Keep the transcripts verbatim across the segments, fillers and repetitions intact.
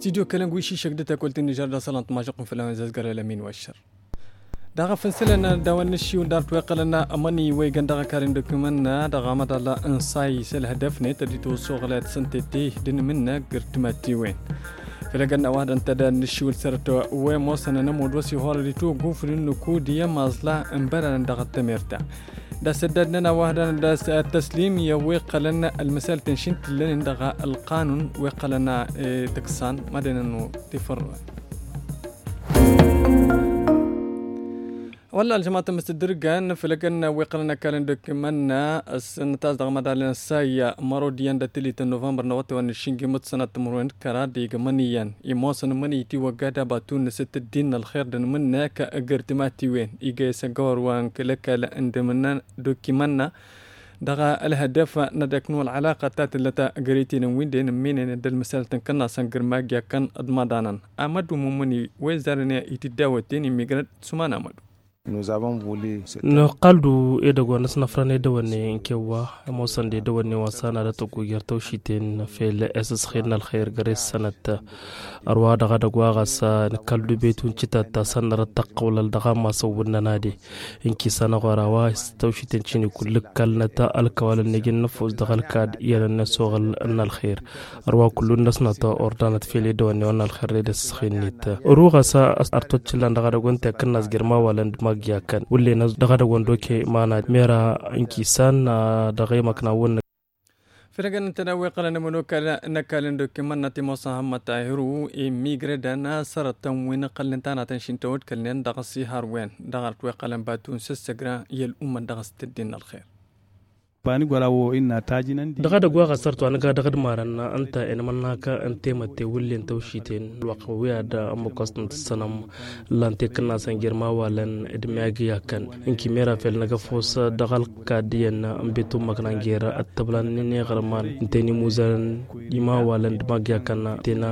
Tidyo kălăn wi šišăk d-tăkolt n-ižăr d-asălan tmažăq n-fălăwen zazgăr ălămin wa aššăr. Dăɣ-afǝnsǝlăn dăɣ-wăn n-ašiw n-dart wa iqqălăn ămăni wa igan dăɣ-akar n-dokimăn-na dăɣ-amăḍal n-say s-ălhădăf-net ad-itwăssoɣlăyăt s-ǝnta i-ti d-inǝmǝnnăk găr timattiwen. Făll-egănna wa dăɣ-tădda n-ašiw n-sărăt wa imoosăn ănămud wa s-ihorăd itwăggufǝd n-nukud i-ămaẓla n-băranăn dăɣ-tămert-ta. D-asăddad-nănăɣ wa dăɣ-tăslim i-wa iqqălăn ălmăsal tănšin tǝllănen dăɣ-ălqanun wa iqqălăn tǝksan mădănăn tifărrăwen. Wălla ălžămat n-măstădrǝgan făll-egănna wa iqqălăn ăkall n-dokimăn-na s-nǝtas dăɣ-mădal n-sayya mărod iyyăn d-atǝlit n-novămbăr n-awătay wa n-ašǝnjǝm d-sănat timǝrwen d-kăraḍ igmăn iyyăn imoosăn ămănăy itiwăgga d-abatu n-asǝttăddin n-ălxer d-anmǝnnăk găr timatiwen iga i-săggăwăr wa n-kăl-ăkall n-dămǝnnăn dokimăn-na dăɣ-ălhădăf n-ad-ăknu ălɣălaqăt ta tǝllăt găr-i tinǝwwin d-e nǝmminăyăn d-ălmǝsal tǝnkănna săn gǝrmag i-akkăn d-imaḍanăn. Amădu mumǝni wa izarăn i-tiddawăten immigrăd suman amădu. Nǝqqăl-du edăgg wa n-asnăfrăn edăwănne n-kewwa ămoosăn d-edăwănne wa s-anadăt ăggujer tawšiten fel esăsxed n-ălxer găr-e s-sănăt. Ărwa dăɣ-edăgg wa ɣas nǝkkăl-du betu n-citatta s-ănnărăt tăqqăwlăl dăɣ-amasăn wǝnnăn ad-e. Ǝnki s-anăɣora wa s-tawšiten cini kull ǝkkălnăt ălkăwalăn n-iji n-nǝfus dăɣ-ălkad i-ad-ănnăsoɣăl n-ălxer. Ărwa kullu-năsnăt ordanăt fel edăwănne wa n-ălxer d-edăsxen-net. Ăru ɣas artoc ǝllan dăɣ-edăgg wa n-tekǝnnas germawalăn d-magyakkăn wǝllen-as dăɣ-edăgg wa n-doke mana mera. Ǝnki s-an dăɣ-emăkna wǝnnăk. Făll-egănna n-tedawwe iqqălăn ămănokal n-ăkall n-dokimăn-na timosa hămmăt tahiru immigrădăn sărătăn wi n-iqqălnen tanatăn šintăwăd kălnen dăɣ-ăssihar wen dăɣ-arăt wa iqqălăn batu n-săssăgra i-ăl'ummăt dăɣ-s tǝddin n-ălxer. Dăɣ-edăgg wa ɣas sărt wa nǝga dăɣ-ădmarăn ǝnta i-nǝmănnakăn n-temătte wǝllen tawšiten ălwăqq wi ad-ămmăkkost n-tǝssănăm. Ǝllan tekǝnnasăn jer-imawalăn d-imyagi i-akkăn ǝnki mera fel năgg-ăfos dăɣ-ălkad iyyăn n-betummăkna n-jer-ăttăblan n-ineɣărman ǝnta i-nimuzărăn imawalăn d-imagi i-akkăn ǝnta i-na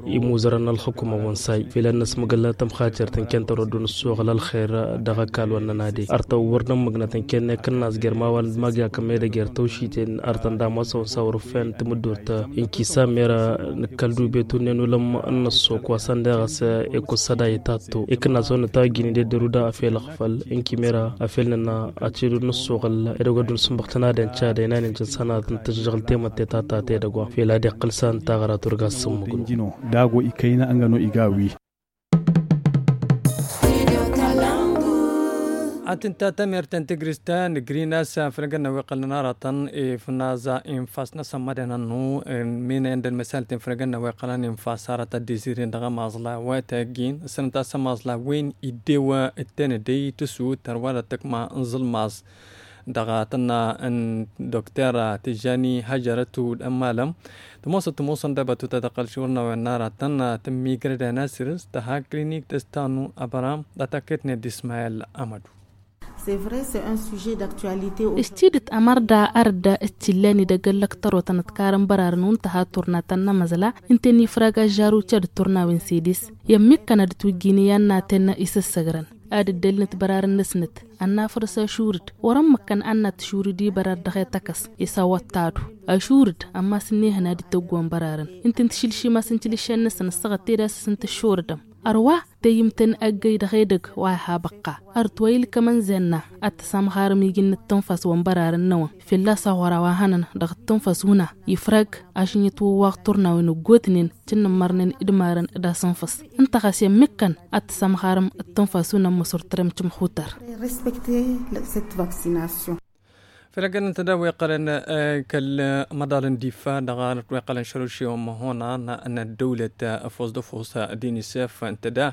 imuzărăn n-ălxukuma wănsay fel ad-năsmăgăl tămxacert n-kentăr wa dd-nǝssoɣăl ălxer. Dăɣ-ăkall wa n-nănade ărtăn wăr nămmăgnăt ǝnken n-ekǝnnas jer-imawalăn d-imagi i-akkăn medăgg jer-tawšiten ărtăn damasăwăn s-awrǝf fent timǝddurt. Ǝnki s-a mera nǝkkăl-du betunnen ulăm n-năssook wa săn deɣăs ekussăd a itattu ikǝnnasăwăn nǝtawăjjǝynen d-edder uda afel ăɣfăl ǝnki mera afel nǝnna ăced ur nǝssoɣăl edăgg wa dd-nǝsǝnbăɣ tănadăn cad ăynanăn jăn sănatăn tǝžžăɣǝl temătte ta ta tedăgg wa fel ad-iqqǝl s-a n-taɣăra turga s-sǝmmǝgnu. Dago ikăyna ăngăno iga wi. Ad-tǝnta tămertăn tigrist ta n-agrin a-s făll-egănna wa iqqălăn aratăn ifnaza infas n-asămmădăn ănnu. Min-e ǝndăn măsalten făll-egănna wa iqqălăn infas aratăn dizirin dăɣ-ămaẓla wa tăggin s-ǝnta a-s ămaẓla wen iddew ǝtten ăddăy tǝsut ărwa d-ad-tăkma n-iẓǝlmaẓ. Dăɣ-tănna n-dokter tǝjjani hajărăt d-ămmalăm tămoosăt tămoosăn dăbătut ad-ăqqăl šurnawen n-aratăn tǝmmigrăd anasirǝs tăha klinik tăstanu ăbăram d-atakăyătnet d-ismayăl. Amădu. Ǝššidǝt ămărda arădda ǝttillăn idăgg ăllăktărotăn ǝtkarăn bărarăn wa n-tăha turnatăn n-amăzla ǝnta ănifrag ažžaru cad d-turnawen s-edes i-ămmikkăn ad-ǝtwǝjjǝyăn i-annaten isǝssăgrăn ad-ǝddălnăt bărarăn-năsnăt. Ănnafăr s-ašurǝd wăr-ămmăkkăn ad-năt šurǝd i-bărar dăɣ-etăkăs isawăt tadu ašurǝd ămmas ǝnnihăn ad-ităggǝwăn bărarăn ǝnta n-tišǝlšimas n-tilǝššen-năsăn ǝssăɣăt tedasăs n-tǝššurǝdăm. Ărwa tăyyǝmtăn ăggăy dăɣ-edăgg wa iha băqqa. Ărăt wa ilkăm ănzenna ad-tăsamɣarăm iji n-ǝttǝnfas wa n-bărarăn-năwăn fălla-s aɣora wa hănăn dăɣ-ǝttǝnfas wǝna ifrag ašǝnjăt wăwwaɣ turnawen ǝggotnen cǝnnǝmmărnen d-imarăn d-asǝnfăs. Ǝnta ɣas i-ămmikkăn ad-tăsamɣarăm ǝttǝnfas wǝna n-măsur tărem cǝmxutăr. Făll-egănăn tădawwe iqqălăn kăl-măḍal n-difa dăɣ-anăt wa iqqălăn šărušewăn măhona n-ăddăwlăt ăfos d-ăfos d-inisef n-tăda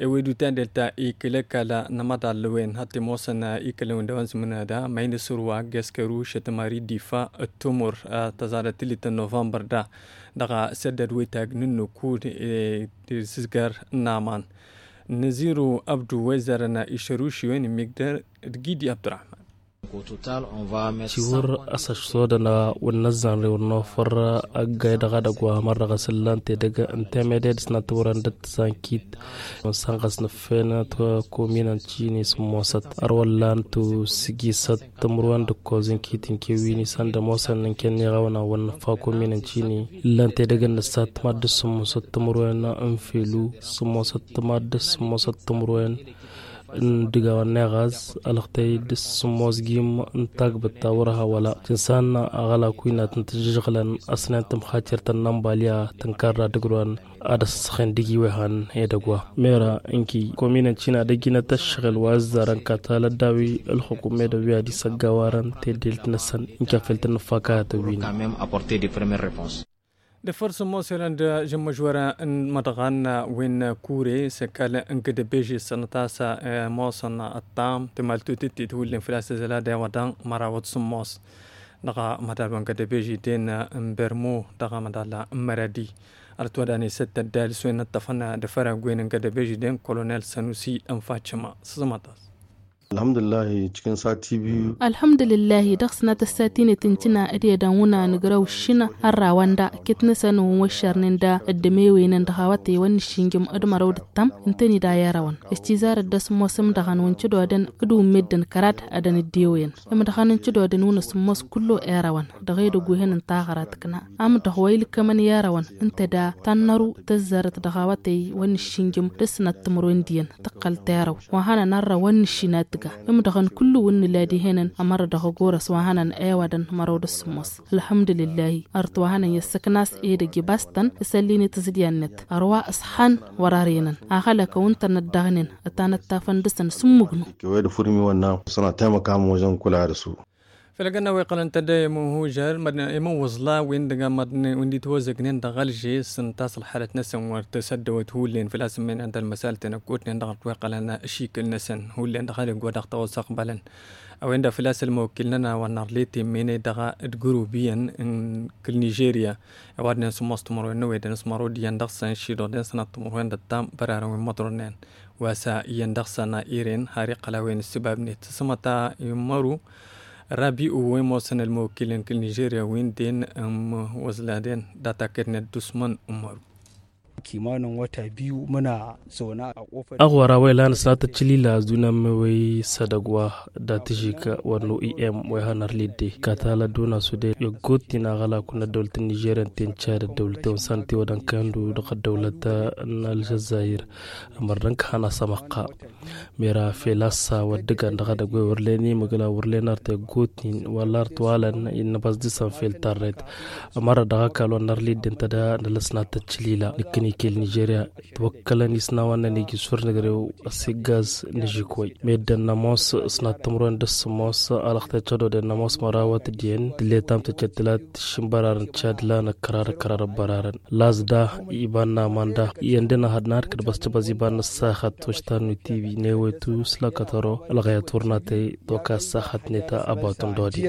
ewed utandel ta ikǝl ăkall n-amăḍal wen hăt imoosăn ikǝlăn wi n-dăwăn zǝmǝnăda ma inǝsǝrwa geskăru šătmari difa d-tumur tăẓadăt tǝllit n-novămbăr da dăɣ-săddăd wetag n-nukud d-sǝzgăr n-aman. Năziru ăbdu wa izărăn išăruši wen imigdăr d-gidi abdurahman. Tiwǝr asăšsodăn wǝnnăzzan rewăr nofăr ăggay dăɣ-edăgg wa hamăr dăɣ-asǝllan tedăgg n-temede d-sănatăwrăn d-ăttăsankit. Sănɣăs nǝffen tăkominăn cini sǝmmosăt ărwăllan tusǝgisăt tǝmrǝwen d-ǝkkoẓ n-kit n-kewini săndămosăn n-kenniɣawna wănnăffa kominăn cini. Ǝllan tedăgg n-nǝssat mad-dd-sǝmmosăt tǝmrǝwen n-felu sǝmmosăt mad-dd-sǝmmosăt tǝmrǝwen n-dăgg-awăn n-eɣaz ălxătăy d-sǝmmos gim n-tagbǝt ta wăr-ha wăla tǝnsan aɣălak wi n-ad-tǝn-tǝjjăžɣǝlăn. Ăsnen tǝmxatir tănnănbalya tǝnkarra dăgg-ălwan ad-ăssăxen dăgg-iwehan edăgg wa mera ǝnki kominăn cina d-ăjjinăt ăššăɣǝl wa ăzzarăn katalăt daw-i ălxukum edăgg wi ad-isăggawarăn teddelt-năsăn. Ǝnki afăl tǝnnǝfakayăt ăwwin. Dăfăr sǝmmos irăn d-žǝmmăžwăr n-imăḍɣan wi n-kure s-ăkall n-gǝdăbeži s-sănăt a-s ămoosăn ăṭṭam timaltut d-titwǝllen făl-a-s tǝzăla d-ewăḍăn mărawăt sǝmmos. Dăɣ-mădal wa n-gădăbeži den n-bermo dăɣ-mădal n-măradi. Ărăt wădan isăttăt d-alǝs wen ǝṭṭăfăn d-afăr agg wen n-gădăbeži den kolonel sănusi ănfacăma s-sămătas. Alhămdulillah. Cikin sati biyu. Alhămdulillah. Dăɣ-sănatăt sati-net n-tǝnna d-edăn wǝnna nǝgrăw ǝššǝnna ărrawăn da kit-năsăn wăn wăššărnen da ăddămewăynen dăɣ-awătăy wăn nǝššǝnjǝm d-mărăw d-ǝttăm ǝntăned a i-ărăwăn. S-tizarăt d-asǝmmos ǝmdăɣăn wăn cǝdodăn d-wǝmmedden kăraḍ ad-ănǝddewăyăn ǝmdăɣăn n-cǝdodăn wăn asǝmmos kullu i-ărăwăn. Dăɣ-edăgg wi hănăn taɣăra tǝkna amdăɣ wa ilkămăn i-ărăwăn ǝnta da tannăru tăzzarăt dăɣ-awătăy wăn nǝššǝnjǝm d-ǝssǝnat timǝrwen diyyăn tǝqqăl terăw wa hănăn ărrăw wăn nǝššin ad-tǝga. Ǝmdăɣăn kullu wǝnnǝla dihenăn ămărrădăɣ ăgorăs wa hănăn ewădăn mărăw d-ǝssǝmmos. Ălhămdulǝllahi. Ărăt wa hănăn i-ăssăknas edăgg ibas-tăn isăllin i-tǝẓḍiyan-net ărwa ǝṣḥan wăr-ărǝyănăn. Axălăkăw ǝnta n-ăddaɣnen ătanăttafăn dăɣ-săn s-ǝmmǝgnu. Kăwăy d-afurmi wănna sănatăy măkam măwăžăn kula dăɣ-su. Făll-agănna wa iqqălăn tădda i-imǝnhužăl imǝnwǝẓla wi n-dăgg-amăḍnen wi n-dd-itwăzăgnen dăɣ-alže s-ǝnta a-s ălxalăt-năsăn wăr tǝsăddăwăt hullen făl-a-s ǝmmen anda ălmăsalăt-en ăkotnen dăɣ-ărt wa iqqălăn ašikǝl-năsăn hullen dăɣ-edăgg wa dăɣ-tawăsăqbălăn. A-wen-dăɣ făl-a-s ălmăwăkkil-nănăɣ wa n-arlet immene dăɣ-dd-gurubiyăn n-kǝl nižerya. Ăwadnen sǝmmos timǝrwen n-ewedăn s-mărod iyyăn dăɣ-săn šidoḍen sănat timǝrwen d-ăṭṭam bărarăn wi n-imăḍrornen. Wa s-iyyăn dăɣ-săn a iren har iqqăl a-wen ǝssǝbabnet s-sămăta immăru. Rabi'u wa imoosăn ălmăwăkkil n-kǝl nižerya wi n-den ǝmmǝwăẓladen data kăynet d-usman ǝmmăru. Kimanin wata biyu muna zaune a kofar. Aɣwăra wa ilan s-nat ăččălila a-s dun-ămmewăy s-edăgg wa dat-ižik wăr n-oim wa ihăn ărlidde katalăt dun-asuded i-ăggotin aɣălak wa n-ăddăwlăt n-nižerya ǝnta i n-čad ăddăwlăt i-wăn s-anăt iwăḍăn kăyăn-dd dăɣ-ăddăwlăt n-ălžăzzayir. Ămărnăn kăhăn-as ămăqqa mera fel a-s wăr dd-ǝggan dăɣ-edăgg wa wăr len imǝgla wăr len art i-ăggotin wăla art walăn innăbas dăɣ-săn fel tarret. Ămărra dăɣ-ăkall wa n-ărlidde ǝnta da nălăs n-ad-tăččălila nǝkkăn ikel nižerya. Twăkkălăn isnawăn-năn iji s-wăr nǝgrew ăsiggaz nǝžik wăy meddǝn n-ămoos s-nat timǝrwen d-ăssǝmmos. Alăɣtăy cădoden n-ămoos mărawăt d-iyyăn tǝlle tamtăccet tǝlat tǝššǝnbărarăn cad lanăk kărar kărar ăbbărarăn. Lazda iban n-amanda iyyăn dăɣ-năhăd n-ad-kăd-băscăbăz iban n-ăssaxăt wăštan n-tibi n-ewăytu s-lăkătăro ălɣăyăt wăr n-atăy toka ăssaxăt-net. Abatun dodi.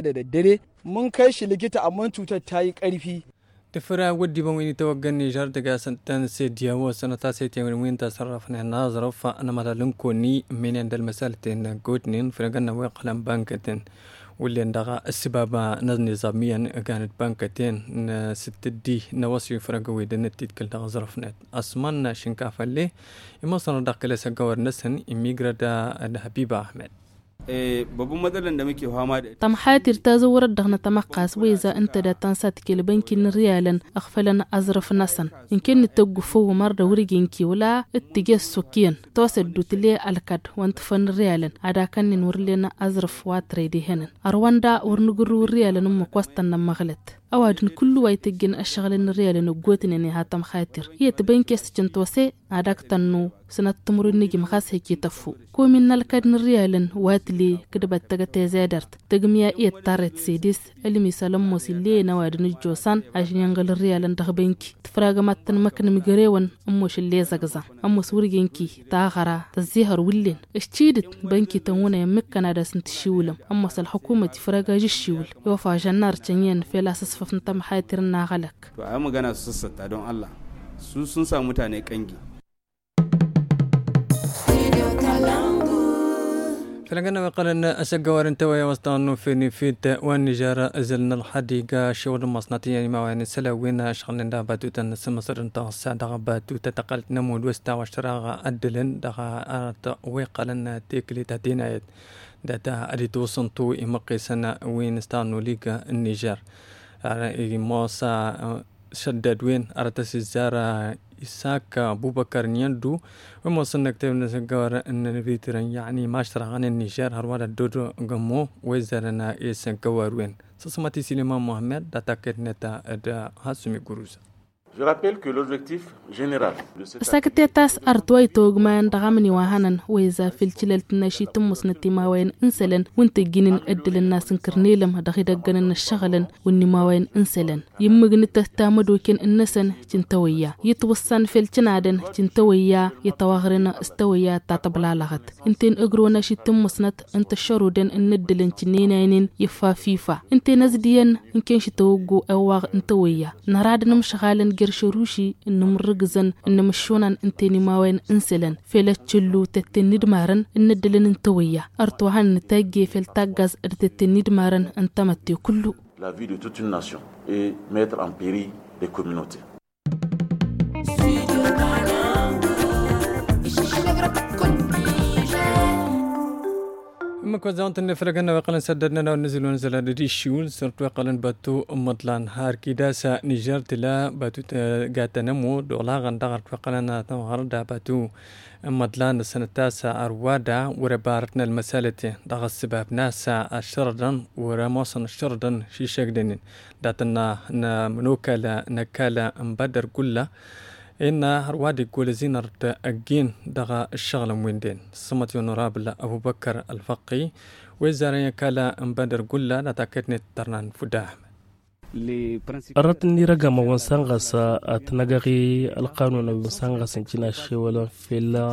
Mǝnkăy šǝlǝjǝt amăn cutăt ta i-kărfi. Tǝfra wăddi băn wi n-itawăggăn nižar tǝgasăn tăn-sediyawo sănăt a-s ete wi n-tasărrăfnen n-aẓrăf n-amăḍal n-konni ǝmminen d-ălmăsalăten n-gotnen făll-agănnăn wa iqqălăn bankăten. Wullen dăɣ-ăssibaba n-ănniẓam iyyăn ǝgan d-bankăten n-sǝttǝddi n-ăwăsi făr-ăgg-ăwedăn d-titkǝl dăɣ-aẓrăfnet. Ăsmănna šǝnkafălle imosăn dăɣ-kăl-e-s ăggawăr-năsăn immigră d-habiba ahmed. Tămxatir tazăwrăt dăɣ-nătămăqqas weza ǝnta dat-tăn-satkel bănki n-riyalăn ăɣfălăn aẓrǝf-năsăn. Ǝnken nǝtăggufăw ămăr d-awǝrge n-kiwǝla d-tǝjes s-okǝyăn tosăddut le ălkăd wa n-tǝfăn riyalăn ad-akănnen wăr len aẓrǝf wa tăre d-ehănăn. Ărwăn da wăr nǝgǝrrǝw riyalăn ǝmmǝk wa s-tăn-nămmăɣlăt. Ăwadǝm kullu wa itǝjjǝn ăššăɣǝlăn n-riyalăn ăggootnen iha tămxatir iyyăt bănke s-tǝcǝn tose ad-ak-tănnu sănăt timǝrwen n-ijǝm ɣas hăjje tăffu. Komin n-ălkăd n-riyalăn wa tǝle kǝdbăt tăgg-tăy zedărt tăgg-mǝya iyyăt tarret sedes. Ălmisăl ămoos ill'-e ăwadǝm ǝjjosan ažǝn inɣǝl riyalăn dăɣ-bănki tǝfragăm ad-tăn-măknǝm ǝjrewăn ămoos ill'-e zăgza. Ămoos wăr-ijǝnki taɣăra tăzzihăr wǝllen. Ǝščidǝt bănki tăn-wǝnăy ămmikkăn ad-asǝn-tǝššiwǝlăm ămoos ălxukumăt ifrăg ažǝššiwǝl. Iwăf ažănnar cănyăn fel asǝsfăf n-tămxaytir n-aɣălăk. To a i-măgăna s-săssătta don allah. Su sun sa mutane kăngi. Făll-agănna wi iqqălăn asăggăwar n-tawăyya wa s-tăɣănnu feni fit wa n-nižer. Ǝzǝl n-ălxădiga ašăwăl n-imassănat iyyăn imawayan isălan wi n-ašăɣǝlnen dăɣ-batutăn n-asǝmmăsăr n-taɣǝssa dăɣ-batutăn tăqqălăt n-ămudd wa s-tawašt tăraɣ ăddǝlăn dăɣ-arăt wi iqqălăn tiklit atinayăt. Data ad-itwǝṣṣǝntu imăqqisăn wi n-ăstaɣnu liga n-nižer. Ar imosa šăddăd-wen arăt ăsizzar isak bubăkăr n-iyyăn du. Wi ămoosăn năktew n-asăggăwar n-ănvitrăn yăɣni maštrăɣăn n-nižer hărwa d-ăddod gămmo wi ăzzarăn i-asăggăwar-wen. Săsmăt i-siliman muhammed data kăyt-net d-hasumi guruza. Je rappelle que l'objectif general de cette ăsakătet a-s arăt wa itawăgmayăn dăɣ-amǝni wa hănăn wa iza făll-tilălt n-ašitǝmmǝsnăt imawayen n-isălan wi n-tǝjjǝynen ăddǝlăn n-asǝnkăr n-elăm dăɣ-idăggănăn n-ăššăɣǝlăn wǝnn' imawayen n-isălan. Immǝgnǝt tamădoken-năsăn cǝntawăyya itwǝssan făll-cǝnadăn cǝntawăyya itawăɣren s-tawăyya ta tăblalăɣăt ǝnta-en ǝgrǝwăn ašitǝmmǝsnăt n-tăššărudăn n-ăddǝlăn cǝnnenaynen iffa f-ifa ǝnta-en ăzdiyyăn. Ǝnken šitawăggo ăwwaɣ n-tawăyya năra d-inǝmšăɣalăn jer-šăruši n-inǝmrǝgzăn n-inǝmššunan ǝnta-en imawayen n-isălan fel ăččǝllu tetten n-idmarăn n-ăddǝlăn n-tawăyya. Ărăt wa hănăn tajje fel taggaz d-tetten n-idmarăn n-tamătte kullu. La vie de toute une nation et mettre en péril des communautés. Ǝmmǝk wa ăzzawăn-tăn-in efălăgăn n-a-wa iqqălăn săddădnen a-wa n-nǝzǝl wa n-zăla d-dd-iššiwǝl s-ărăt wa iqqălăn batu n-imǝḍlan har kidasa nižer tǝla batu tăgga tănămo d-olaɣăn dăɣ-ărăt wa iqqălăn a tămɣăr d-abatu n-imǝḍlan ăssanăt-as ărwa da wăr-ăbarătnăl măsalăten dăɣ-ăssǝbab n-a-s ăššărădăn wăr-ămoosăn ăššărădăn šišăgdănen. Dat-ănna n-ămănokal n-ăkall n-bădăr gulla innă hărwa d-iggolăz-in ărăt ăggin dăɣ-ǝššăɣǝlăn-win-den. Sămăt i-onorabǝl ăbubăkăr ălfăqqi wi ăzzarăn i-ăkall n-bădăr gulla dat-akăyăt n-e-tǝttărnan fudda ăhmăd. Ărăt n-irăgam a-wen săn ɣas ad-t-năgăɣ i-ălqanun a-wen săn ɣas ǝncǝn ašewălăn fell-a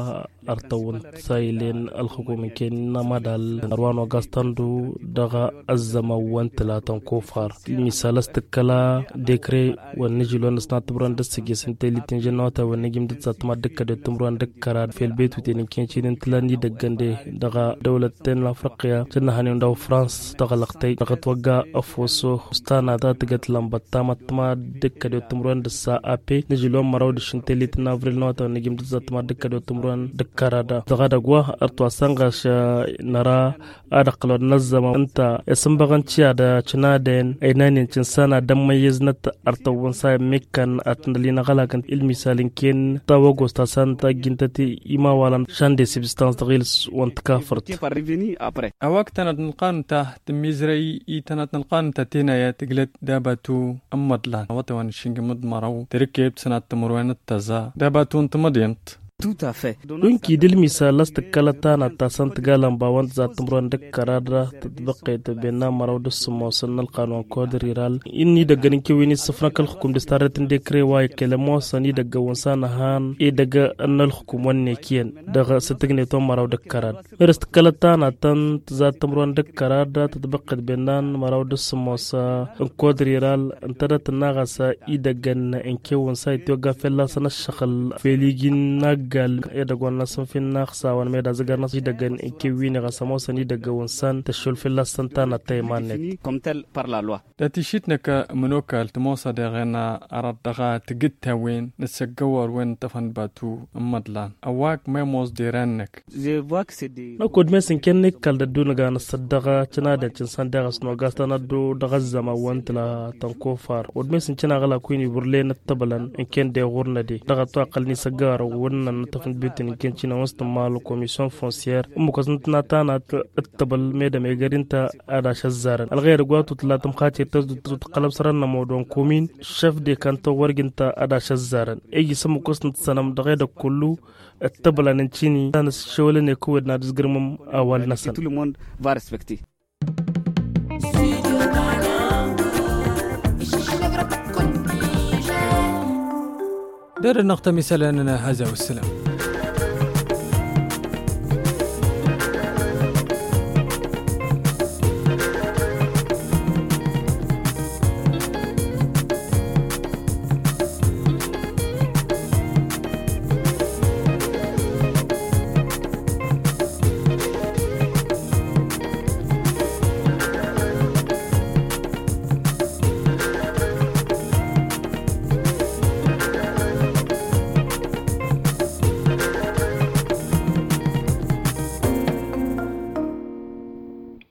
ărtăwăn t-sayǝlen ălxukum ǝnken n-amadal ărwa n-ogas tăndu dăɣ-ăzzăman wa n-tǝlatăn kofar. Misal a-s tǝkkăla dekre wa n-nǝžǝl wa n-ăsnat timǝrwen d-ǝssǝjjǝs n-telit n-žănnawăt a-wen n-ejǝm d-ǝttatăma d-ǝkkăd i-timǝrwen d-ǝkkărad fel betuten ǝnken šidǝn tǝla n-idăggăn de dăɣ-dăwlăt-ten n-afriqya cǝnnăhăn-in daw-frans tăɣlăɣtăy dăɣ-ătwăgga ăfoso. Ǝstanat a tǝgăt lănbăt tamăttăma d-ǝkkăd i-timǝrwen d-ǝssa ape n-nǝžǝl wa n-măraw d-ašǝn telit n-avril n-awătay wa n-ejǝm d-ǝttatăma d-ǝkkăd i-timǝrwen d-ǝkkărad. Dăɣ-edăgg wa ărăt wa săn ɣaš năra ad-ăqqălăn n-ăzzăman ǝnta isǝnbăɣăn tiya d-acǝnadăn ăynaynen cǝnsan ad-ămmăyyăznăt ărtăwwăn sa ămmikkăn ad-t-năl-in ăɣlakăn ilmisal ǝnken tawăgost ta săn tajjǝntăt imawalăn šan de sibstans dăɣ-iles wa n-tǝkafărt. A-wa ǝkk tănat n-ălqanun ta tǝmmizrăy i-tănat n-ălqanun ta tenayăt tǝglăt d-abatu n-imǝḍlan awătay wa n-ašǝnjǝm d-măraw tǝrǝkkeb sănat timǝrwen d-tăẓa d-abatu n-timǝḍint. Wi n-kid ǝlmisal a-s tǝkkălăt tanat ta săn tǝga lănba wa n-tǝzat timǝrwen d-ǝkkărad tǝtbăqqet benna măraw d-ǝssǝmmosăn n-ălqanun kodriral. Inn'-idăggăn ǝnken wi n-issǝfnăk ălxukum d-s tarret n-dekre wa ikkelăn ămoosăn idăggăn wa n-sanăhan edăgg n-ălxukum wa n-nekiyăn dăɣ-s tǝgnet wa n-măraw d-ǝkkărad. Meres tǝkkălăt tanat ta n-tǝzat timǝrwen d-ǝkkărad tǝtbăqqet bennan măraw d-ǝssǝmmos n-kodriral ǝntădăt ǝnnaɣ a-s idăggăn n-kewăn s-a itwăgga fălla-săn ăššăɣǝl fel iji n-aggal edăgg wa n-asǝnfin n-axsawăn meda zǝgărnăs idăggăn n-kewwin i-ɣas ămoosăn idăggăn wa n-săn tăššol fălla-săn tanăt ta iman-net. Dat-išit năkk ămănokal tămoos ad-eɣen arăt dăɣ-tǝgǝt-ta-wen n-asăggăwar wen n-tăfăn batu n-imǝḍlan ăwwak ma imoos deran-năk. Năkk odmes ǝnken n-ikkal d-ăddu nǝga nǝssăt dăɣ-cǝnadăn cǝnsan deɣ a-s nogas tăn-ăddu dăɣ-ăzzăman wa n-tǝla tănkofar odmes ǝnken aɣlak wi n-iburlen ǝttăbălăn ǝnken deɣ ɣur-năde dăɣ-ătwaqăl n-isăggăwar wăr-năn n-atăf n-bitǝn ǝnken cinăwăn s-tǝmmal komisyon fonsyăr ǝmmǝk wa s-nǝtna tanat ǝttăbăl medăm egăr-i ǝnta ad-ašăzzarăn ălɣăyăr ǝgg wa tutǝlla tǝmxatir tăzdut tăqqălăb sărăn n-ămodon komin šăf dekantăw wăr-ǝgg ǝnta ad-ašăzzarăn iji s-ǝmmǝk wa s-nǝtsănăm dăɣ-edăgg kullu. Ǝttăbălăn n-cini ta n-ăššăwălăn i-kăwed n-ad-ǝzgǝrmăm awal-năsăn. Dăr-năɣ tămisălăn n-hăza wăssălam.